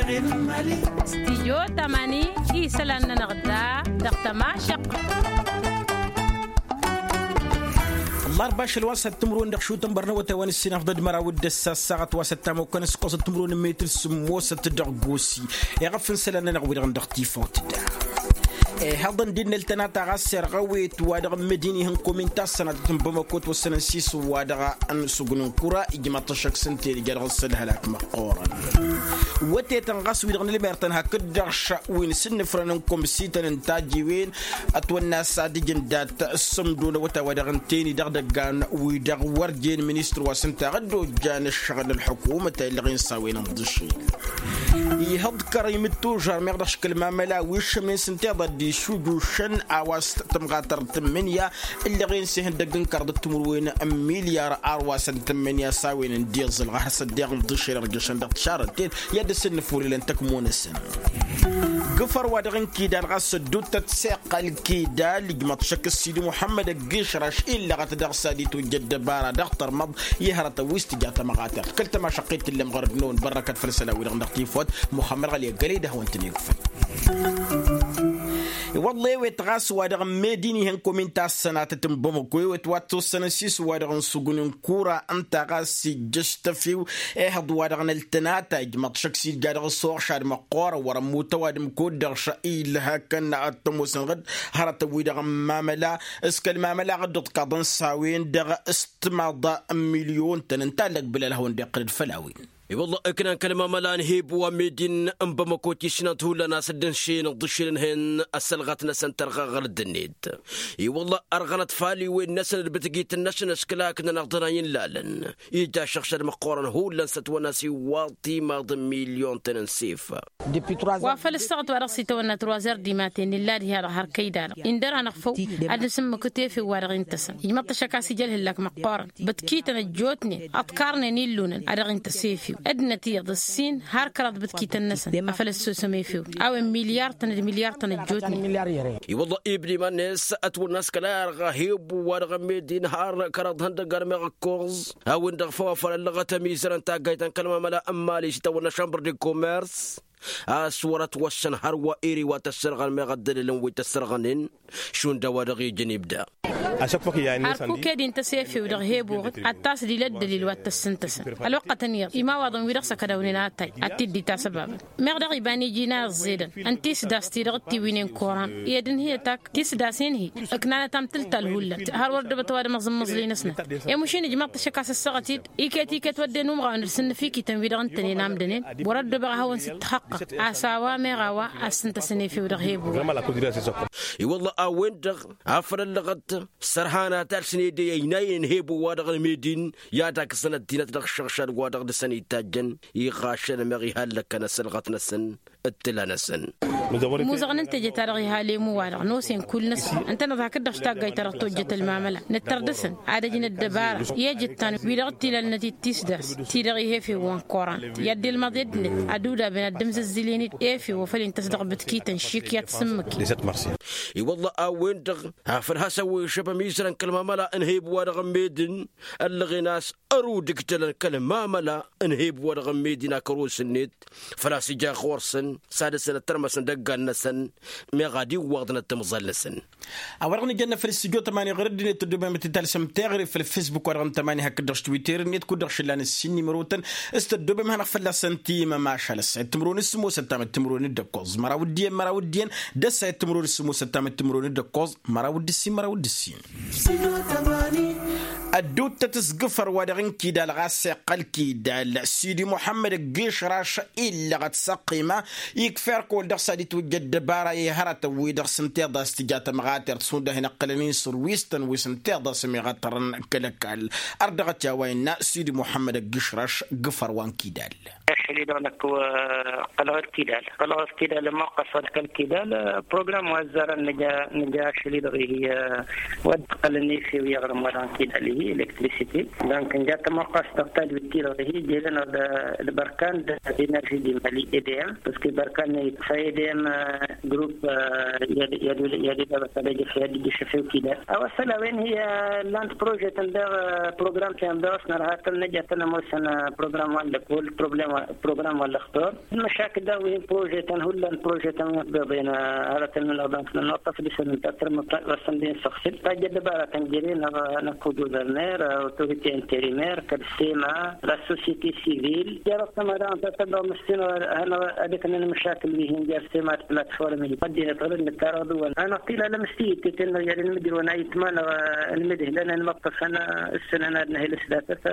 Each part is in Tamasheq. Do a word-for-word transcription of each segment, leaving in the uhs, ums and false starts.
Stijyo tămani isălan-nănăɣ da dăɣ-tămašăq. Ăllarba ašăl wa s-ad-timǝrwen dăɣ-išutăn bărnăwătay wa n-ǝssin afḍăd măraw d-ăssa ăssaɣăt wa s-ăttamăkkăn s-kăwăẓăt timǝrwen n-metǝr sǝmmosăt dăɣ-gosi. Iɣăf n-isălan-nănăɣ wi-dăɣ dăɣ-tifawt da. Ehăḍăn d-innăl tănata ɣas irɣăwet wa dăɣ-medin ihăn komin ta s-sănatăt n-bamăko ătwăssănăn s-isǝm wa dăɣ-ănsugnǝn kura ijmaḍ-t ăššăk s-ǝnta i-dd-ija dăɣ-s ălhălak măqqoorăn. Wătetăn ɣas wi-dăɣ n-ălmer-tăn hakd-dăɣ wi n-sǝnnǝfrăn n-komsităn n-tajiwen ătwănna s-ad-ǝjǝn dat-sǝmdonăwăt a-wa dăɣ-ǝnta-en-i dăɣ-idăggan-wi-dăɣ wăr jen ministăr wa s-ǝnta a ăddojjan ǝššăɣǝl ălḥukumăt a illăɣen s-a-wen ǝnḍǝšel. Ihăḍ kărăy mǝttužar meɣ dăɣ-aškăl mamăla wi šămnen s-ǝnta iḍa dd-išujušăn a-wa s-tǝmɣatăr tǝmmǝnǝya ǝllăɣen s-ihăndăgg n-kăraḍ d-timǝrwen n-milyar ar wa s-ăntǝmmǝnǝya s-a-wen n-diẓǝl ɣas ăddeɣ ǝnḍǝšel ărjăšăn dăɣ-tišarăten. I-ad-dăr-săn nǝfulǝlăn tăkmo-năsăn. Gǝfăr wa dăɣ-n kidal ɣas ădduuttăt s-iqqăl kidal ijmăḍ šăkk s-sidi muḥămmăd ăgg-išraš illăɣăt dăɣ-s ad-itwǝjja ăddăbara dăɣ-tărmăḍ. I-hărătăn wi s-tǝja tămɣatert kăl-tămašăqqit tǝllăm ɣărăd-năwăn bărrăkăt făll-isălan-wi-dăɣ dăɣ-tifawt. Muxămmăd ɣăli ăggălăy d-ad-hawăn-tăn-ikfăn. I-wălla ewet ɣas wa dăɣ-n medin ihăn komin ta s-sănatăt n-bamăko ewet wa t-wăssănăn s-isǝm wa dăɣ-n sugǝn n-kura ǝnta ɣas ijjăš tăfiw. Ehăḍ wa dăɣ-năl tănata ijmăḍ šăkk s-ija dăɣ-s oɣšad măqqoorăn wăr-ămmut ăwadǝm kud-dăɣ ša illăhakăn ad-t-ămoosăn ɣǝd. Hărătăn-wi-dăɣ n-mamăla s-kăl-mamăla ɣǝddǝḍ kaḍăn s-a-wen-dăɣ s-timaḍa n-milyon-tăn ǝnta allăg bǝlal hawăn-dd-iqqǝlăd făll-a-wen. I-wălla ǝknan kăl-mamăla n-hebu wa n-medin n-bamăko tišnant hullan a-s dd-ǝnšăyăn ǝḍǝššǝlăn hen ăssălɣat-năsăn tărɣa ɣăr dd-net. I-wălla ărɣănăt faliwen-năsăn d-bǝtgităn-năsăn ăškălak n-ănăɣ-dănay n-lalăn. Ija šăɣšad măqqoorăn hullan s-ătwănna s-iwwaḍ timaḍ n-milyon-tăn n-sif. Wa făl ǝssaɣăt wa dăɣ-s itawănna tărwazer d-imaten nǝlla diha-dăɣ har kăy-da-dăɣ indăr-anăɣ făw. Ad-nǝsǝmmǝkǝt efew wa dăɣ-intăsăn ijmăḍ-t ăššăk a-s ija ălhǝllak măqqoorăn. Bǝtkităn ăjjootnen ăḍkarnen illunăn a dăɣ-intăs efew. Ăddinăt iyyăḍ ǝssin har kăraḍ bǝtkităn-năsăn afăl ăssosăm efew. A-wen milyar-tăn d-milyar-tăn ăjjootnen. I-wălla ibn iman-net ătwănna s-kăla irɣa hebu wa dăɣ-medin har kăraḍ ihăndăggan meɣ ǝkkoẓ. A-wen-dăɣ făw afăl ăllăɣăt ămizărăn taggayt ta n-kăl-mamăla n-mali s-itawănna šambăr d-komers. A-s wăr-ătwăssăn hărwa ere wa tăssărɣăn meɣ ăddălălăn wi tăssărɣănen. Šund a-wa-dăɣ ijăn ibda. Har kuk ed intăs efew dăɣ-hebu ɣǝd ad-tasdil ăddălil wa t-tăssǝntăsăn. Ălwăqqătăn iyyăḍ imawaḍăn-wi-dăɣ s-ăkădawnen atay ad-t-dd-itasăbabăn. Meɣ daɣ iba n-iji n-aẓẓedăn n-tisdast-ti-dăɣ t-iwǝynen koran i-ad-ǝnhǝyăt ak tisdas inhǝy. Ǝknanăt amtǝltal hullan har wăr ăddobăt ăwadǝm aẓǝmmăẓli-năsnăt. Emušin ijmaḍ-t ăššăk a-s ǝssaɣăt-dd iket iket wădden umɣawen d-sǝnnǝfikităn wi-dăɣ ǝntănen amdănen. Wăr-ăddobăɣ ad-hawăn-s ǝttăxăqqăɣ a-s a-wa meɣ a-wa. Ad-sǝntăsăn efew dăɣ-hebu. I-wălla a-wen-dăɣ afăl ăllăɣăt sărhanat alsăn edăy ăynayăn n-hebu wa dăɣ-medin. I-ad-aksăn ăddinăt dăɣ-išăɣšad wa dăɣ-dăɣ-săn itajjăn iɣašăn meɣ ihallăkăn asălɣăt-năsăn. D-tǝla-năsăn. Imuzăɣăn n-teje-ta-dăɣ ihal emu-wa-dăɣ n-osen kull-năsăn ǝntăneḍ hakd-dăɣ s-taggayt-ta-dăɣ tojjăt ălmamăla. Nǝttăr dăɣ-săn ad-ăj n-ăddăbara i-ejǝttan wi-dăɣ t-ilalnăt d-tisdas ti-dăɣ ih'-efew wa n-koran. I-ad-dd-ilmăḍ i-ăddinăt ad-udaben ad-dd-ǝmzǝzzǝlen-dd efew wa făl intăs dăɣ-bǝtkităn šik i-ad-t-sǝmmǝkǝl. I-wălla a-wen-dăɣ afăl has-ăwwăyăšăb ămizărăn kăl-mamăla n-hebu-wa-dăɣ n-medǝn. Ăllăɣen a-s ărudǝgtălăn kăl-mamăla n-hebu-wa-dăɣ n-medǝn akăros-net. Făl-a-s ija ɣur-săn s-ad-dăr-săn ăttărmăsăn dăggan-năsăn. Meɣ ad-iwwaḍnăt timẓal-năsăn. A-wa-dăɣ nǝjănna făll-studyo tămani ɣur-ăddinăt tăddobem ad-t-talsăm teɣăre făll-facebook-wa-dăɣ n-tămani hakd-dăɣ s-twitter-net kud-dăɣ šǝllan ǝssin n-imrotăn s-tăddobem hanăɣ-fălla-săn timămašal ăssayăt timǝrwen s-sǝmmosăt tamăt timǝrwen d-ǝkkoẓ măraw d-iyyăn măraw d-iyyăn d-ăssayăt timǝrwen s-sǝmmosăt tamăt timǝrwen d-ǝkkoẓ. Măraw d-ǝssin măraw d-ǝssin. Ădduuttăt s-gǝfăr wa dăɣ-n kidal ɣas iqqăl kidal sidi muḥămmăd ăgg-išraš illăɣăt s-ăqqima. Ikf'-e ărkăwăl dăɣ-s ad-itwǝjja ăddăbara i-hărătăn-wi-dăɣ s-ǝnta iḍa a-s tǝja tămɣatert šund a hin-ǝqqǝlăn insǝrwis-tăn wi s-ǝnta iḍa a-s ămiɣătărăn kăl-ăkall. Ărdăɣăt i-a-wa innă sidi muḥămmăd ăgg-išraš gǝfăr wa n-kidal. Ašăl-i-dăɣ năkk ǝqqălăɣ d-kidal ǝqqălăɣ d-kidal ămmaqqăs wa d-kăl-kidal. Program wa ăzzarăn nǝja ašăl-i-dăɣ ihi wa dd-ǝqqălăn efew i-aɣrǝm wa dăɣ-n kidal ihi. elektrisite. Dănk n-ja tămăqqas dăɣ-tadwit-ti-dăɣ dihi jălăn-dăɣ d-bărkan d-enerži di mali edm păske bărkan n-ita edm grup i-ad-dd-išăfew kidal a-wa s-ăla a-wen hi-ăllant prožetăn daɣ program-ten daɣ s-nărhatăn n-ejătăn ămoosăn program wa n-lăkol program wa n-lăxtor. N-măšakǝl daɣ wi hin-prožetăn hullan prožetăn wi n-ăbbeḍen hărătăn n-ălɣăḍan s-nănnuṭṭăf dăɣ-săn ǝnta tărmăt wa s-săn d-inṣăɣsǝl tajjăt dăbaratăn jere-năɣ năkk uguverner autorite interimer kăl-sema la societe civil. Jer-ăṭṭăma daɣ ǝnta tăbăɣ măssin ad-ăknăn măšakǝl wi hin-jer-sema d-platform-in ăddinăt-năɣ dd-nǝttarăɣ dăɣ-wăn hanăɣ-t-ila lămǝstiyǝt titǝnnăɣ i-ad-nǝmǝjrăwăn a itma-năɣ. Nǝmǝdhǝlăn anmăṭṭăfăn ǝssǝnăn ad-nǝhǝl s-datăt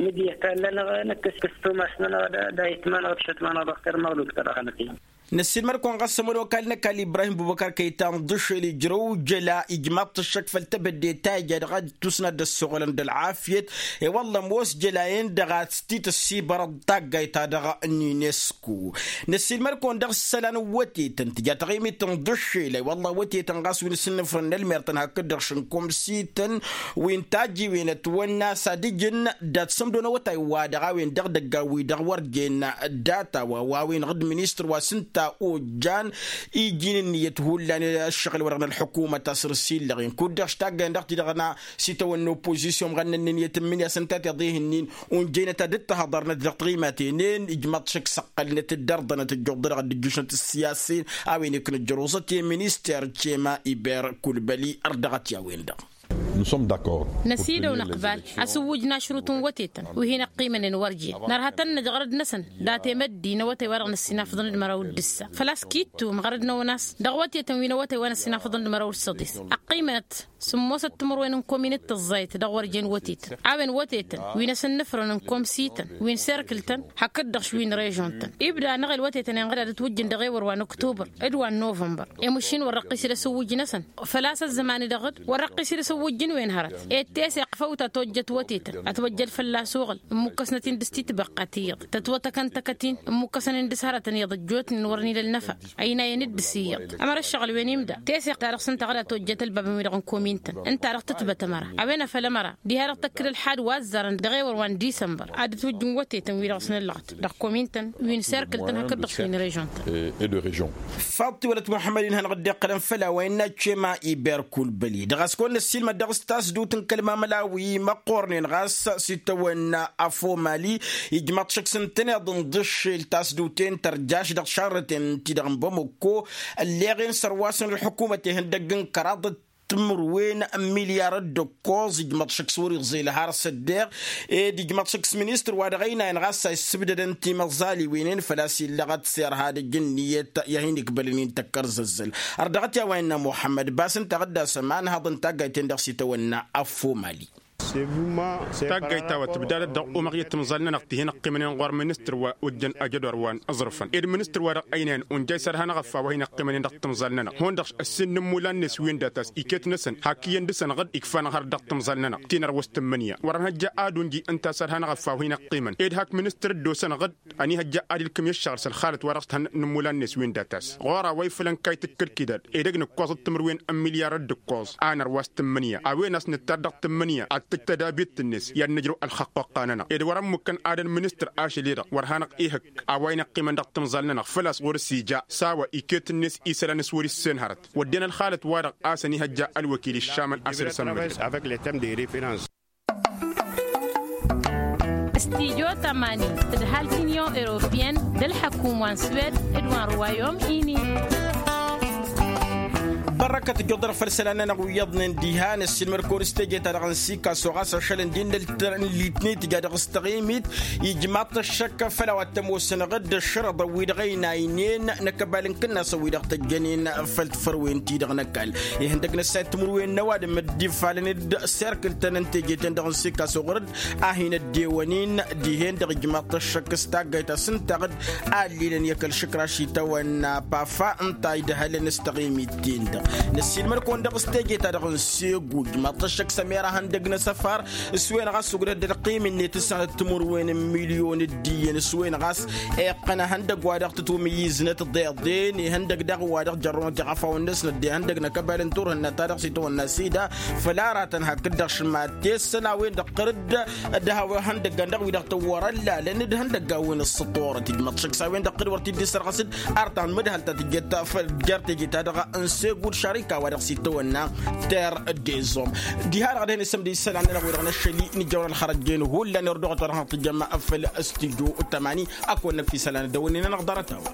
nǝddiyyăt ta ǝllanăɣ năkk s-tumas-nănăɣ d-ayǝtma-năɣ d-išǝtma-năɣ dăɣ-termăɣ d-uktăr aɣănăt-in. Năssiilmăd-kăwăn ɣas ămănokal n-ăkall ibrahim bubăkăr kăy-tanḍǝšel ijrăw jăla ijmaḍ-t ăššăk făll-tebădde ta ija dăɣ-ad-tusnat d-ăssoɣălăn d-ălɣafyăt. I-wălla ămoos jăla-en-dăɣ a-s t-tăssibărăḍ taggayt-ta-dăɣ n-inesku. Năssiilmăd-kăwăn dăɣ-isălan n-wătetăn tǝja taɣimit n-dăššel i-wălla wătetăn ɣas wi n-asǝnnǝfrăn n-ălmertăn hakd-dăɣ šǝnkumsităn wi n-tajjiwen ătwănna s-ad-ǝjǝn dat-sămdo n-awătay-wa-dăɣ a-wen dăɣ-idăggan-wi-dăɣ wăr jen data wa wa-wen ɣǝd ministăr wa s-ǝnta ojjan iji n-ǝnniyăt hullan ăššăɣǝl-wa-dăɣ n-ălḥukumăt a săr-s illăɣen kud-dăɣ s-taggayăn dăɣ-ti-dăɣ n-a s-itawănna opozisyon ɣănnăn n-ǝnniyăt n-imǝnǝya s-ǝnta tiḍa ihǝnnin unjăynăt ad-dd-tăhăḍărnăt dăɣ-tiɣimaten-en ijmaḍ-t šăkk săqqălnăt dd-ărḍănăt ǝjjuḍănăɣ d-ǝjjǝšnăt ǝssiyas-en. A-wen iknă ǝjjăr oẓăt i-minister cema iber kulbăli ărdăɣăt i-a-wen-dăɣ. Năsidăw n-ăqbal asǝwwǝj n-ašrut n-wătetăn wi hin-ăqqimănen wăr jen nărhătăn-năj ɣărăd-năsăn dat-e măddi n-awătay wa dăɣ-năssinafăḍăn d-măraw d-ǝssa făl-a-s kittu măɣărăd n-awănas dăɣ-wătetăn wi n-awătay wa năssinafăḍăn d-măraw d-săḍis. Ăqqimănăt sǝmmosăt timǝrwen n-komin d-tǝẓẓayăt dăɣ-wăr jen wătetăn a-wen wătetăn wi n-asǝnnǝfrăn n-komsităn wi n-serkǝl-tăn hakd-dăɣ wi n-režon-tăn. Ibda-năɣ i-wătetăn inɣǝd ad-ătwǝjjǝn dăɣ-ewăr wa n-oktobăr d-wa n-novămbăr i-măšin wăr răqqis d-asǝwwǝj-năsăn făl-a-s ăzzăman-i-dăɣ d-wăr răqqis d-asǝwwǝj n-wen hărăt. Ed teseɣt făw ta tojjăt wătetăn ătwăjjăl fălla-s uɣǝl ǝmmukăsnăt-in dăɣ-s titbăqqa tiyyăḍ tătwătăkăn tăkăt-in ǝmmukăsăn-in dăɣ-s hărătăn iyyăḍ ăjjootnen wăr n-ila ălnăfa. Ăynayăn-dd s-iyyăḍ ămăra ăššăɣǝl-wen imda teseɣt-ta-dăɣ s-ǝnta ɣǝd a tojjăt ălbabăn-wi-dăɣ n-komin-tăn ǝnta-dăɣ tǝtbăt ămăra a-wen a făl ămăra diha-dăɣ tăkkǝd ălḥad wa ăzzarăn dăɣ-ewăr wa n-disămbăr ad-ǝtwǝjjǝn wătetăn-wi-dăɣ s-nǝllăɣăt dăɣ-komin-tăn wi n-serkǝl-tăn hakd-dăɣ wi n-režon-tăn. Faḍt tiwălăt muḥămmăd-in hanăɣ-dd-iqqălăn făll-a-wa innă cema iber kulbăli dăɣ-a-s kăwăn-năssiilmăd dăɣ-s tasdut n-kăl-mamăla wi măqqoornen ɣas s-itawănna afomali. Ijmaḍ-t šăkk s-ǝntăneḍ n-dăššel tasdut-en tărjaš dăɣ-šarrăten-ti-dăɣ n-bamăkko ălleɣen sărwasăn ălḥukumăt ihăndăgg n-kăraḍăt timǝrwen n-milyar d-ǝkkoẓ ijmăḍ šăkk s-wăr-iẓel har s-ăddeɣ ed ijmăḍ šăkk s-ministăr wa dăɣ-ăynayăn ɣas a issǝbdădăn timăẓaliwen-en făl-a-s illăɣăt s-irha ad-ǝjǝnniyăt i-ad-hin-ikbălăn-in tăkkăr zăzzăl. Ărdăɣăt i-a-wa innă muḥămmăd bas ǝnta a ɣǝdda s-ămanhăḍ n-taggayt-en-dăɣ s-itawănna afomali. Taggayt a-wa tǝbdadăt dăɣ-umăɣ i-timẓal-nănăɣ ti hin-ăqqimănen ɣur-ministăr wa ojjăn ajădor wa n-aẓrǝfăn ed ministăr wa dăɣ-ăynăyăn unjay s-ad-hanăɣ-ăff a-wa hin-ăqqimănen dăɣ-timẓal-nănăɣ hundăɣ ăssin n-ǝmmulan-net wi n-datas iket-năsăn hak iyyăn dăɣ-săn ɣǝd ikfa-năɣ har dăɣ-timẓal-nănăɣ ti n-ărwăs tǝmmǝnǝya wăr-ănhăjja ad-unji ǝnta a-s ad-hanăɣ-ăff a-wa hin-ăqqimăn ed hak ministăr dd-osăn ɣǝd ănihăjja ad-ilkǝm i-ăššăɣǝl s-ălxalăt wa dăɣ-s tăhănnăt n-ǝmmulan-net wi n-datas ɣur-a-wa iflăn kayt ǝkkǝlkidăd ed ăgg nǝkkoẓăt timǝrwen n-milyar d-ǝkkoẓ a nărwa s-tǝmmǝnǝya a-wen a-s nǝttar dăɣ-tǝmmǝnǝya ad-tǝjj tădabit-net i-ad-nǝjrăw ălxăqqoqqa-nănăɣ ed wăr-ămmukăn ad-ănministăr ašăl-i-dăɣ wăr hanăɣ-ihǝkk a-wa inăqqimăn dăɣ-timẓal-nănăɣ făl-a-s ɣur-s ija s-a-wa iket-net isălan s-wăr-issen hărăt wădden ălxalăt-wa-dăɣ a-s ănihăjja ălwăkil iššamăn asăl-săn. Studyo tămani tǝdhalt unyon europeyăn d-ălḥăkum wa n-swed d-wa n-ruwayom ini. Bărrăkăt ǝjjuḍăr făll-isălan-nănăɣ wi iyyăḍnen diha năssiilmăd-kăwăn s-teje-ta-dăɣ n-sikaso ɣas ašăl ǝndin n-ăltărăn litney tǝja dăɣ-s taɣimit ijmaḍ-t ăššăk făll-a-wa t-ămoosăn ɣǝd ăššărăḍăn-wi-dăɣ ăynaynen n-akăbal n-kǝnnasăn-wi-dăɣ tăjjănen făll-tafărwen-ti-dăɣ n-ăkall ihăndăg n-ăssayăt timǝrwen n-ăwadǝm dd-ifalăn d-serkǝl-tăn n-teje-ten-dăɣ n-sikaso ɣur-dd a hin-ăddewăn-in dihen-dăɣ ijmaḍ-t ăššăk s-taggayt ta s-ǝnta ɣǝd a ăllilăn i-kăl-išǝkraš itawănna pafa ǝnta a idhălăn s-taɣimit-ten-dăɣ. Năssiilmăd-kăwăn dăɣ-s teje-ta-dăɣ n-seguj maḍt ăššăk s-ămera ihăndăg n-asăfar s-wen ɣas ugdăt d-ălqim-net s-sănăt timǝrwen n-milyon d-iyyăn s-wen ɣas iqqăn ihăndăg wa dăɣ-tǝtwămǝyyǝznăt deḍen ihăndăg daɣ wa dăɣ-jărrăwnăt iɣăfawăn-năsnăt d-ihăndăg n-akăbal n-turhǝnna ta dăɣ-s itawănna sida. Făll-aratăn hakd-dăɣ šǝmma tessăn a-wen-dăɣ tăr-dd ăddăhaw ihăndăggan dăɣ-wi-dăɣ tăwwărăllalăn d-ihăndăggawen s-sǝṭṭorăt ijmăḍ šăksawen dăɣ-tǝdwăr t-dd-issărɣăs-dd artan mădhăl ta tǝjjăt făll-jer teje-ta-dăɣ n-segud šarika wa dăɣ-s itawănna ter dezom. Diha-dăɣ dăɣ-hin-isǝmdǝy isălan-nănăɣ wi-dăɣ năššăli nǝjjăwăn ălxărăjjen hullan irduɣăt wa dăɣ-năɣ tǝjjăm făll-studyo tămani. Ad-kăwăn-năkf isălan ăddăwănnen-nănăɣ ḍarăt-a-wa.